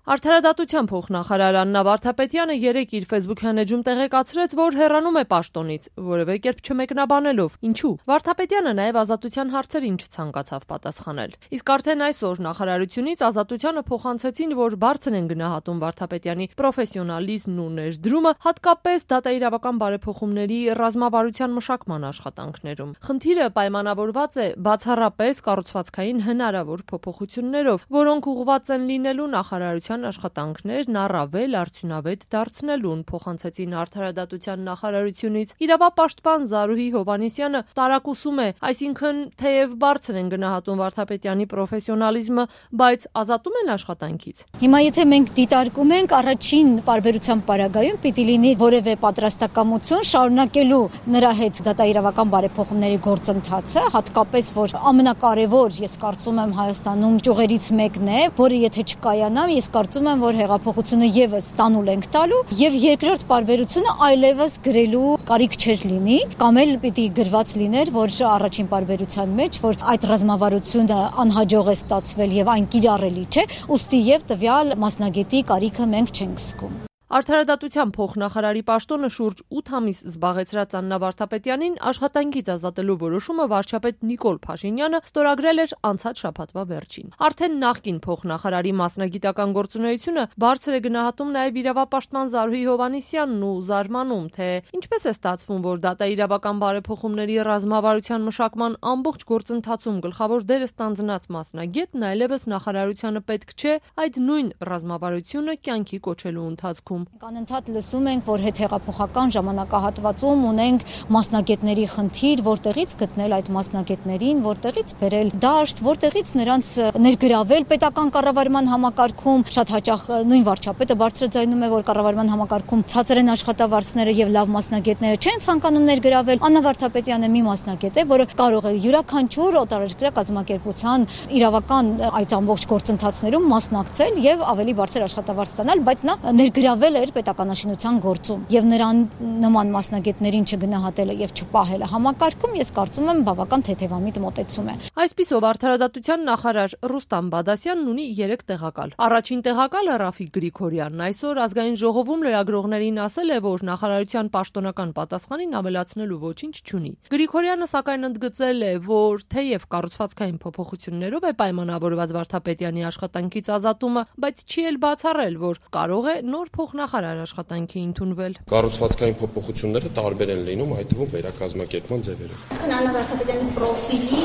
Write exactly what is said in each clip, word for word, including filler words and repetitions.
Արդարադատության փոխնախարար Աննա Վարդապետյանը երեկ իր ֆեյսբուքյան էջում տեղեկացրեց, որ հեռանում է պաշտոնից, որևէ կերպ չմեկնաբանելով ինչու։ Վարդապետյանը նաև ազատության հարցերին չցանկացավ պատասխանել։ Իսկ արդեն այսօր նախարարությունից ազատությանը փոխանցեցին, որ բարձր են գնահատում Վարդապետյանի պրոֆեսիոնալիզմն ու ներդրումը, հատկապես դատաիրավական բարեփոխումների ռազմավարության մշակման աշխատանքներում։ Խնդիրը պայմանավորված է բացառապես կառուցվածքային հնարավոր փոփոխություններով, որոնք ուղղված են լինելու նախարարության աշխատանքներն առավել արդյունավետ դարձնելուն, փոխանցեցին Արդարադատության նախարարությունից։ Իրավապաշտպան Զարուհի Հովհաննիսյանը տարակուսում է, այսինքն թեև բարձր են գնահատում Վարդապետյանի պրոֆեսիոնալիզմը, բայց ազատում են աշխատանքից։ Հիմա եթե մենք դիտարկում ենք առաջին պարբերության պարագայում պիտի լինի որևէ պատրաստակամություն շարունակելու նրա հետ դատաիրավական բարեփոխումների գործընթացը, հատկապես որ ամենակարևոր, ես կարծում եմ Հայաստանում ճյուղերից մեկն է, որը եթե չկայանա, ես կարծում եմ, որ հեղափոխությունը եւս տանուլ ենք տալու եւ երկրորդ պարբերությունը այլևս գրելու կարիք չէր լինի, կամ էլ պիտի գրված լիներ, որ առաջին պարբերության մեջ, որ այդ ռազմավարությունը անհաջող է ստացվել եւ այն կիրառելի չէ, ուստի եւ տվյալ մասնագետի կարիքը մենք չենք զգում։ Արդարադատության փոխնախարարի պաշտոնը շուրջ ութ ամիս զբաղեցրած Աննա Վարդապետյանին աշխատանքից ազատելու որոշումը վարչապետ Նիկոլ Փաշինյանը ստորագրել էր անցած շաբաթվա վերջին։ Արդեն նախկին փոխնախարարի մասնագիտական գործունեությունը բարձր է գնահատում նաև իրավապաշտպան Զարուհի Հովհաննիսյանն ու զարմանում, թե ինչպես է ստացվում, որ դատաիրավական բարեփոխումների ռազմավարության մշակման ամբողջ գործընթացում գլխավոր դերը ստանձնած մասնագետն այլևս նախարարությանը պետք չէ այդ նույն ռազմավարությունը կյանքի կոչելու ընթացքում։ Անընդհատ լսում ենք, որ հետհեղափոխական ժամանակահատվածում ունենք մասնագետների խնդիր, որտեղից գտնել այդ մասնագետներին, որտեղից բերել դաշտ, որտեղից նրանց ներգրավել պետական կառավարման համակարգում։ Շատ հաճախ նույն վարչապետը բարձրաձայնում է, որ կառավարման համակարգում ցածր են աշխատավարձները եւ լավ մասնագետները չեն ցանկանում ներգրավել։ Աննա Վարդապետյանը մի մասնագետ է, որը կարող է յուրաքանչյուր օտարերկրյա կազմակերպության իրավական այդ ամբողջ գործընթացներում մասնակցել եւ ավելի բարձր աշխատավարձ ստանալ, բայց նա ներգրավել էր պետականաշինության գործում եւ նրան նման մասնագետներին չգնահատելը եւ չպահելը համակարգում, ես կարծում եմ բավական թեթևամիտ մոտեցում է։ Այսպիսով Արդարադատության նախարար Ռուստամ Բադասյանն ունի երեք տեղակալ։ Առաջին տեղակալը Ռաֆիկ Գրիգորյանն այսօր ազգային ժողովում լրագրողներին ասել է, որ նախարարության պաշտոնական պատասխանին ավելացնելու ոչինչ չունի։ Գրիգորյանը սակայն ընդգծել է, որ թեև կառուցվածքային փոփոխություններով է պայմանավորված Վարդապետյանի աշխատանքից ազատումը, բայց չի էլ բացառել, որ կարող է նոր փոխնախարար աշխատանքի ընդունվել։ Կառուցվածքային փոփոխությունները տարբեր են լինում, այդ թվում վերակազմակերպման ձևերով։ Իսկ Աննա Վարդապետյանի պրոֆիլի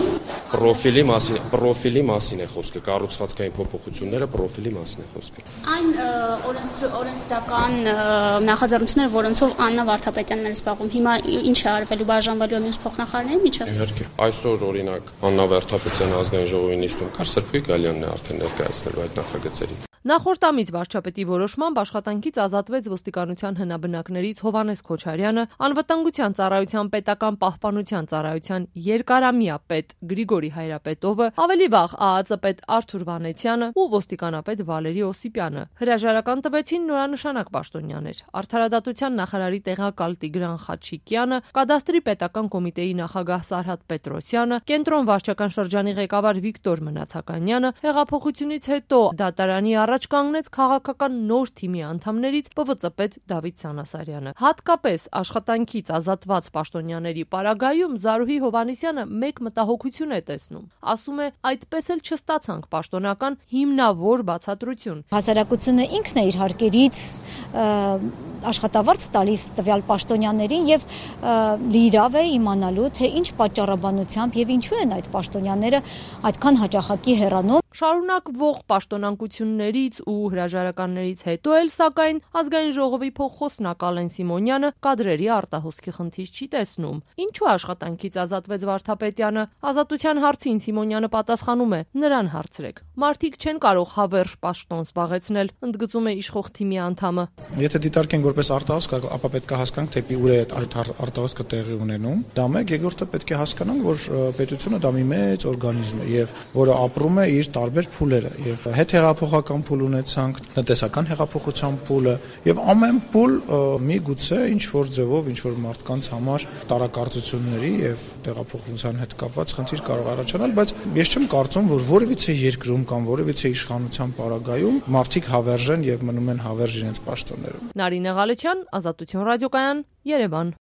Պրոֆիլի մասին, պրոֆիլի մասին է խոսքը, կառուցվածքային փոփոխությունները պրոֆիլի մասին է խոսքը։ Այն օրենսդրական նախաձեռնությունները, որոնցով Աննա Վարդապետյանն էր զբաղվում, հիմա ինչ է արվելու, բաժանվելու մյուս փոխնախարարների միջև։ Իհարկե, այսօր օրինակ Աննա Վարդապետյանը ազգային ժողովի նիստում կար, Սրբույր Գալյանն է արդեն ներկայացնելու այդ նախագծերին։ Նախորդ ամիս վարչապետի որոշմամբ աշխատանքից ազատվեց ոստիկանության հնաբնակներից Հովհաննես Քոչարյանը, անվտանգության ծառայության պետական պահպանության ծառայության երկարամյա պետ Գրիգորի Հայրապետովը, ավելի վաղ ԱԱԾ պետ Արթուր Վանեցյանը ու ոստիկանապետ Վալերի Օսիպյանը։ Հրաժարական տվեցին նորանշանակ պաշտոնյաներ։ Արդարադատության նախարարի տեղակալ Տիգրան Խաչիկյանը, կադաստրի պետական կոմիտեի նախագահ Սարհատ Պետրոսյանը, կենտրոն վարչական շրջանի ղեկավար Վիկտոր Մնացականյանը, հեղափոխությունից հետո դատարանի առաջ կանգնեց քաղաքական նոր թիմի անդամներից Պ V Ծ պետ Դավիթ Սանասարյանը։ Հատկապես աշխատանքից ազատված պաշտոնյաների պարագայում Զարուհի Հովհաննիսյանը մեկ մտահոգություն է տեսնում։ Ասում է, այդպես էլ չստացանք պաշտոնական հիմնավոր բացատրություն։ Հասարակությունը ինքն է իր հարկերից աշխատավարձ տալիս տվյալ պաշտոնյաներին եւ լիիրավ է իմանալու, թե ինչ պատճառաբանությամբ եւ ինչու են այդ պաշտոնյաները այդքան հաճախակի հեռանում։ Շարունակվող պաշտոնանկություններից ու հրաժարականներից հետո էլ, սակայն, ազգային ժողովի փոխխոսնակ Ալեն Սիմոնյանը կադրերի արտահոսքի խնդիր չի տեսնում։ Ինչու աշխատանքից ազատվեց Վարդապետյանը։ Ազատության հարցին Սիմոնյանը պատասխանում է. նրան հարցրեք։ Մարդիկ չեն կարող հավերժ պաշտոն զբաղեցնել, ընդգծում է իշխող թիմի անդամը։ Եթե դիտարկենք, որ որպես արտահոսք, ապա պետք է հասկանանք, թե ուր է այդ արտահոսքը տեղի ունենում։ Դա մեկ, երկրորդը պետք է հասկանանք, որ պետությունը դա մի մեծ օրգանիզմ է եւ որը ապրում է իր տարբեր փուլերը, եւ հետհեղափոխական փուլ ունեցանք, տնտեսական հեղափոխության փուլը եւ ամեն փուլ միգուցե ինչ որ ձևով, ինչ որ մարդկանց համար տարակարծությունների եւ տեղափոխության հետ կապված խնդիր կարող առաջանալ, բայց ես չեմ կարծում, որ որևիցե երկրում կամ որևիցե իշխանության պարագայում մարդիկ հավերժ են եւ մնում են հավերժ իրենց պաշտոններում։ Նարինե Ղալեչյան, Ազատություն ռադիոկայան, Երևան։